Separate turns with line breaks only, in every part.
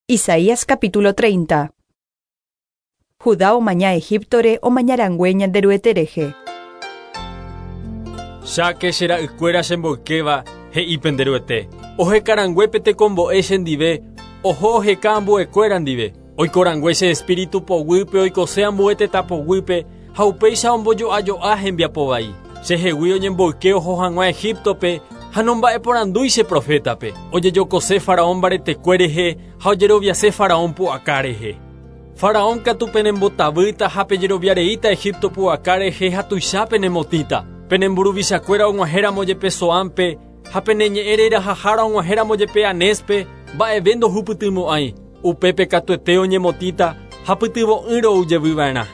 Isaías capítulo 30. Judá omaña Egíptore omañarangue Ñanderuete rehe.
Cháke che ra'ykuéra chemboykéva, he'i pende Ruete. Ohekarangue pe tekombo'e chendive, oho oheka ambuekuéra ndive. Oikorangue che espíritu poguýpe oikose ambue tetã poguýpe ha upéicha ombojo'ajo'a hembiapo vai. Chehegui oñemboyke oho hag̃ua Egíptope ha nomba'eporandúi che profétape. Ojejokose faraón mbaretekue rehe ha ojeroviase faraón pu'aka rehe. Faraón katu penembotavýta ha pejeroviareíta Egipto pu'aka rehe ha tuicha penemotĩta. Pene mburuvichakuéra og̃uahẽramo jepe Zoánpe ha pene ñe'ẽ rerahahára og̃uahẽramo jepe Anéspe, mba'eve ndohupytymo'ãi. Upépe katuete oñemotĩta ha pytyvõ'ỹre ou jevyva'erã.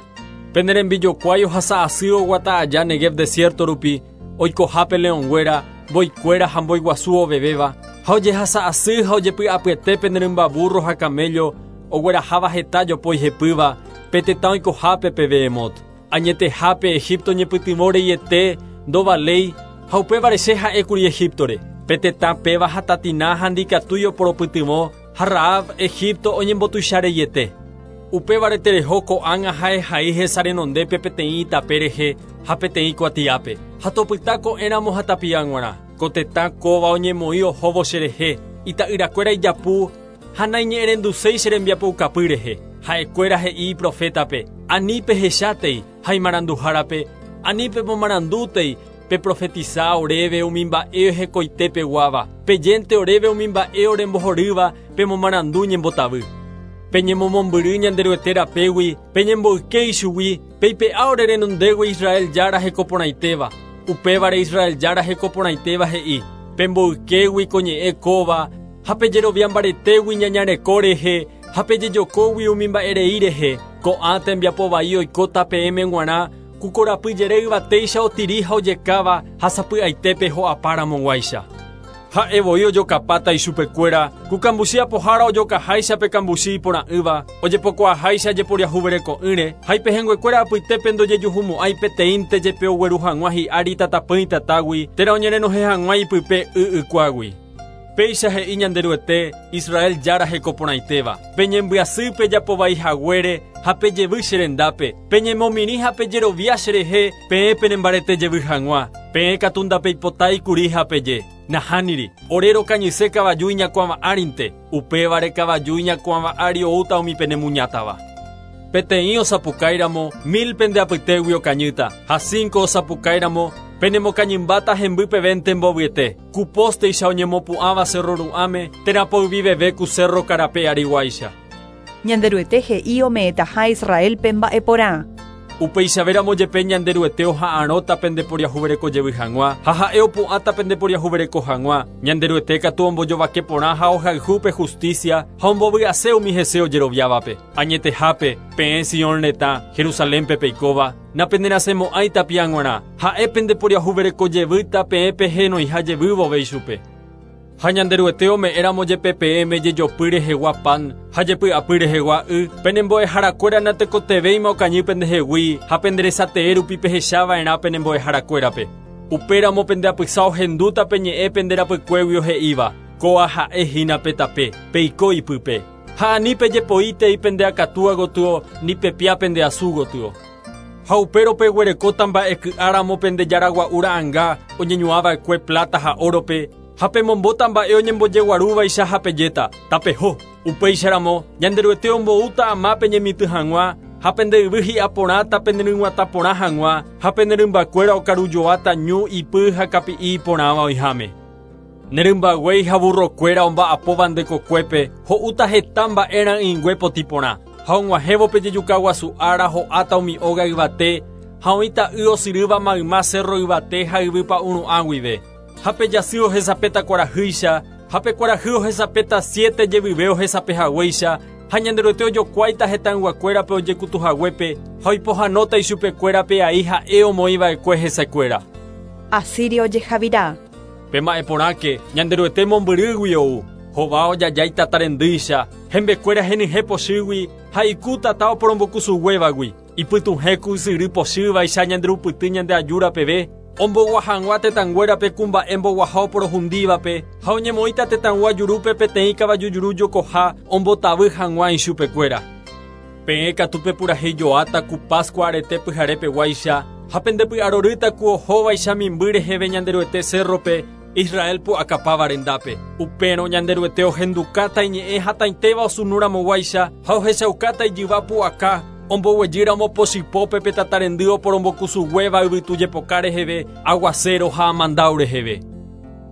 Pene rembijokuái ohasa asy oguata aja Negev desierto rupi, oikohápe leõnguéra, mboikuéra ha mbói guasu ovevéva, ha ojehasa asy ha ojepy'apyete pene rymba burro ha camello ogueraháva heta jopói hepýva pe tetã oikohápe pe Behemot. Añetehápe Egipto ñepytyvõ reiete ndovaléi ha upévare che ha'ékuri Egíptore, pe tetã péva hatatina ha ndikatúi oporopytyvõ ha Rahab, Egipto oñembotuicha reiete. Upévare tereho ko'ág̃a ha ehai hesa renondépe peteĩ itape rehe ha peteĩ kuatiápe, ha topyta ko'ẽramo ha tapia g̃uarã. Ko tetã kóva oñemoĩ ohóvo cherehe, ita'yrakuéra ijapu ha naiñe'ẽrenduséi che rembiapoukapy rehe. Ha'ekuéra he'i iprofétape, Ani pehechátei, ha imaranduhárape, Ani pemomarandútei, peprofetisa oréve umi mba'e hekoite peguáva, pejénte oréve umi mba'e orembohorýva, pemomarandu ñembotavy. Peñemomombyry Ñanderuete rapégui, peñemboyke ichugui, peipe'a ore renondégui Israel Jára heko porãitéva. Upévare Israel Jára heko porãitéva he'i, Pemboykégui ko ñe'ẽ kóva, ha pejerovia mbaretégui ñaña reko rehe, ha pejejokógui umi mba'e rei rehe, ko'ã tembiapo vai oikóta peẽme g̃uarã, ku korapy jere yvatéicha otiri ha ojekáva ha sapy'aitépe ho'apa ramoguáicha. Ha'e voi ojokapáta ichupekuéra, ku kambuchi apohára ojokaháicha pe kambuchi iporã'ỹva, ojepokuaaháicha jeporiahuvereko'ỹre, ha ipehẽnguekuéra apytépe ndojejuhumo'ãi peteĩnte jepe ogueru hag̃ua hi'ári tatapỹi tatágui térã oñerenohẽ hag̃ua ipype y ykuágui. Péicha he'i Ñanderuete, Israel Jára heko porãitéva, Peñembyasy pejapo vai haguére ha pejevy che rendápe, peñemomirĩ ha pejerovia cherehe peẽ penembarete jevy hag̃ua. Peẽ katu ndapeipotái kuri ha peje, Nahániri, ore rokañyse kavaju iñakuãva árinte, upévare kavaju iñakuãva ári oúta umi penemuñátava. Peteĩ osapukáiramo, mil pende apytégui okañýta, ha cinco osapukáiramo, penemokañymbáta hemby pevénte mbovyete. Ku pósteicha oñemopu'ãva sérro ru'ãme, térã poyvi veve ku sérro karape ariguáicha.
Ñanderuete he'i ome'ẽtaha Israélpe mba'e porã.
Upeichavéramo jepe Ñanderuete oha'arõta pendeporiahuvereko jevy hag̃ua, ha ha'e opu'ãta pendeporiahuvereko hag̃ua. Ñanderuete katu ombojovake porã ha ohayhu pe justícia ha ombovy'ase umi hese ojeroviávape. Añetehápe, peẽ Sion retã, Jerusalénpe peikóva, napenerasẽmo'ãi tapia g̃uarã, ha'e pendeporiahuvereko jevýta peẽ pehenoiha jevy vove ichupe. Ha Ñanderuete ome'ẽramo jepe peẽme jejopy rehegua pan ha jepy'apy rehegua y, pene mbo'eharakuéra natekotevẽima okañy pendehegui ha pende resatee rupi pehechava'erã pene mbo'eharakuérape. Upéramo pende apysa ohendúta pe ñe'ẽ pende rapykuéguio he'íva, Kóa ha'e hína pe tape, peiko ipype. Ha ani pejepoítei pende akatúa gotyo ni pepia pende asu gotyo. Ha upérõ peguerekóta mba'e ky'a ramo pende jára gua'u ra'ãnga oñeñuã va'ekue pláta ha órope, ha pemombóta mba'e oñembojeguarúvaicha ha pejéta, Tapeho! Upéicharamo, Ñanderuete omboúta ama peñemitỹ hag̃ua, ha pende yvy hi'a porãta peneryg̃uatã porã hag̃ua, ha pene rymbakuéra okarujoáta ñu, ipy ha kapi'i iporãva oĩháme. Ne rymba guéi ha burrokuéra omba'apóva nde kokuépe ho'úta heta mba'e ra'ỹingue potĩ porã. Ha og̃uahẽvo pe jejuka guasu ára ho'áta umi óga yvate, ha oĩta y osyrýva mayma sérro yvate ha yvy pa'ũ ru'ã guive. Ha pe jasy ohesapéta kuarahýicha, ha pe kuarahy ohesapéta siete jevyve ohesape haguéicha, ha Ñanderuete ojokuáita hetãyguakuérape ojekutu haguépe, ha oipohãnóta ichupekuéra pe ai ha'e omoĩva'ekue hesekuéra.
Asiria ojehavira.
Pema'ẽ porãke, Ñanderuete mombyrýgui ou, hova ojajái tata rendýicha, hembekuéra henyhẽ pochýgui ha iku tata oporombokusuguévagui. Ipytuhẽ ku ysyry pochývaicha ñanderupyty ñande ajúra peve, Ombogua hag̃ua tetãnguérape ku mba'e mboguaha oporohundívape, ha oñemoĩta tetãygua jurúpe peteĩ kavaju juru jokoha ombotavy hag̃ua ichupekuéra. Peẽ katu pepurahéijoáta ku Páskua arete pyhare peguáicha, ha pendepy'arorýta ku ohóvaicha mimby reheve Ñanderuete cérrope, Israel pu'akapáva rendápe. Upérõ Ñanderuete ohendukáta iñe'ẽ hatãitéva osunu ramoguáicha ha ohechaukáta ijyva pu'aka, omboguejýramo pochypópe pe tatarendy oporombokusuguéva yvytu jepoka reheve, aguacero ha amandáu reheve.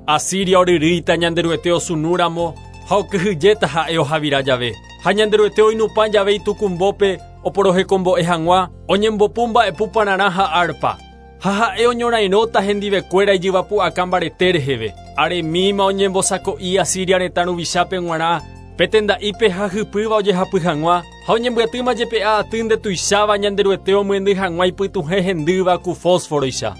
Asiria oryrýita Ñanderuete osunúramo ha okyhyjéta ha'e ohavira jave. Ha Ñanderuete oinupã jave itukumbópe oporohekombo'e hag̃ua, oñembopu mba'epu pararã ha árpa. Ha ha'e oñorairõta hendivekuéra ijyvapu'aka mbarete reheve. Aremíma oñembosako'i Asiria retã ruvichápe g̃uarã, pe tenda'ípe ha hypýva ojehapy hag̃ua, ha oñembyatýma jepe'a aty ndetuicháva Ñanderuete omyendy hag̃ua ipytuhẽ hendýva ku fósforoicha.